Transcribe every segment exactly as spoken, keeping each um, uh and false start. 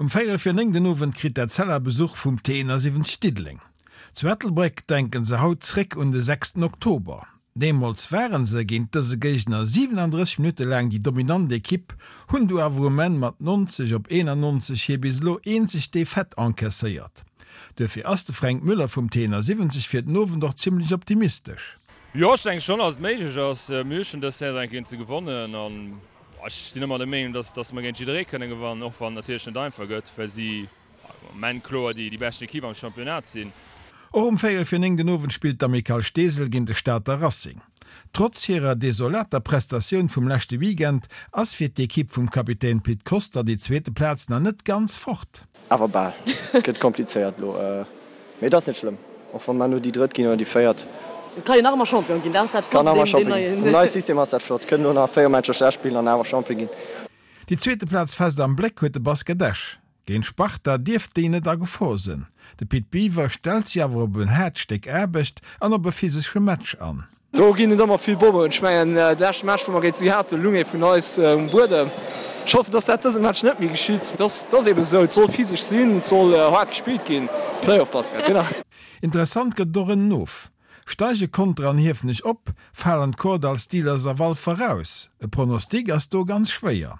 Um véierel vir néng den Owend kritt d'Etzella Besuch vum T eenasiwwenzeg Diddeleng. Zu Ettelbréck denken se haut zréck un de sechsten Oktober. Deemools waren se géint dëse Géigner siwenandrësseg Minutte laang déi dominant Ekipp, hunn du awer um Enn mat nonzeg op eenannonzeg hir bis elo eenzeg Defaite encaisséiert. Duerfir ass de Fränk Müller vum T eenasiwwenzeg fir den Owend och zimmlech optimistesch. Jo, ech denke schonn, dass et méiglech ass. Mir hu schonn dës Saison eng géint se gewonnen an ech sinn ëmmer der Meenung, dass dass mer géint jidderee kënne gewannen, och wann et natierlech net einfach gëtt, well si am Moment kloer déi déi beschten Ekipp am Championnat sinn. Och um véierel vir néng den Owend spillt d'Amicale Steesel géint de Stater Racing. Trotz hirer desolater Prestatioun vum leschte Weekend ass fir d'Ekipp vum Kapitän Pit Koster déi zweete Plaz nach net ganz fort. Awer bal. Gëtt komplizéiert elo, mee et ass net schlëmm. Och wa mer elo déi drëtt ginn oder déi véiert. Et ka jo nach ëmmer Champion ginn, dat ass dat Kann Flott nach un ëmmer deem Champion ginn. neien. Mam neie System ass dat flott. Kënnen elo nach véier Matcher schlecht spillen an awer Champion ginn. Déi zweete Plaz fest am Bléck huet de Basket Esch. Géint Sparta dierft déi net a Gefor sinn. De Pit Biwer stellt si awer op en haart Stéck Aarbecht an op e physesche Match an. Do ginn et ëmmer vill Bommen. Ech mengen, de leschte Match, wou mer géint si haten, lung ee vun eis um Buedem. Ech hoffen, dass dat dëse Match net méi geschitt. Et ass eebe sou, et soll physesch sinn, et soll haart gespillt ginn. Playoff-Basket, genau. Interessant gëtt et och en Of. Steige Conter an Hiefenech op, falen d'Kordall Steelers a Walfer raus? E Pronostic ass do ganz schwéier.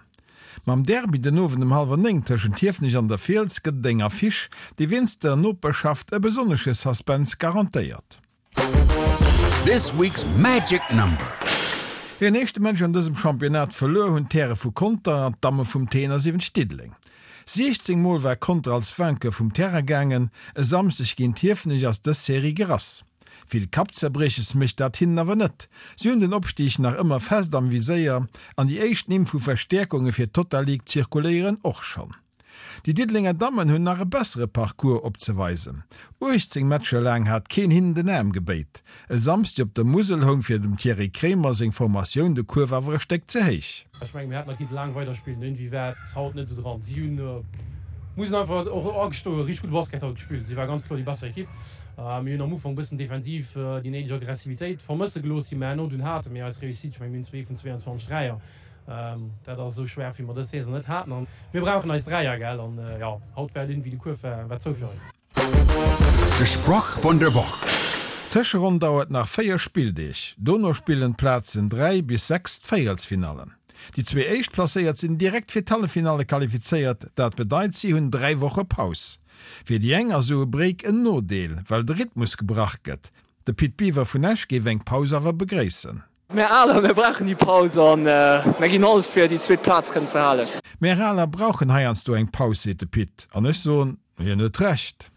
Mam Derby den Owend um hallwer néng tëschent Hiefenech an der Fiels gëtt et eng Affiche, déi wéinst der Noperschaft e besonnesche Suspense garantéiert. This week's magic number. Hiren éischte Match an dësem Championnat verluer hunn d'Häre vu Conter an d'Damme vum T eenasiwwenzeg Diddeleng. siechzéng Mol war Conter als Vainqueur vum Terrain gaangen, e Samschdeg géint Hiefenech ass dës Serie gerass. Vill Kappzerbrieches mécht dat hinnen awer net, si hunn den Opstig nach ëmmer fest am Viséier an déi éischt Nimm vu Verstäerkunge fir d'Total League zirkuléieren och schonn. Déi Diddelenger Dammen hunn nach e bessere Parcours opzeweisen. uechtzéng Matcher laang hat keen hinnen den Aarm gebéit. E Samschdeg op der Musel houng fir dem Thierry Kremer seng Formatioun de Kuerf awer e Stéck ze héich. Ech mengen, mir hätten nach kinnte laang weiderspillen. Iergendwéi war et haut net esou dran. Si hunn, muss een einfach och agestoen, richteg gudde Basket haut gespillt. Si war ganz kloer déi besser Ekipp. Mir hunn am Ufank e bëssen defensiv déi néideg Aggressivitéit vermësse gelooss, déi mer herno dunn haten. Mee eis Réussite, ech mengen, mir hunn zwee vun zweianzwanzeg Dräier, dat ass esou schwaach, wéi mer dës Saison net haten. An mir brauchen eis Dräier, gell. An jo, haut war et iergendwéi, de Kuerf war war zou fir eis. De Sproch vun der Woch. D'Tëscheronn dauert nach véier Spilldeeg. Dono spillen d'Plazen dräi bis sechs d'Véierelsfinallen. Déi zwee Éischtplacéiert sinn direkt fir d'Halleffinalle qualifizéiert, dat bedeit si hunn dräi Woche Paus. Fir déi eng ass esou e Break en Nodeel, well de Rhythmus gebrach gëtt. De Pit Biwer vun Esch géif eng Paus awer begréissen. Mär Aler, mär brauchen déi Paus an mär ginn alles fir déi zweet Plaz kënnen ze halen. Mär Aler brauchen heiansdo eng Paus, seet de Pit. An ech soen, hien huet Recht.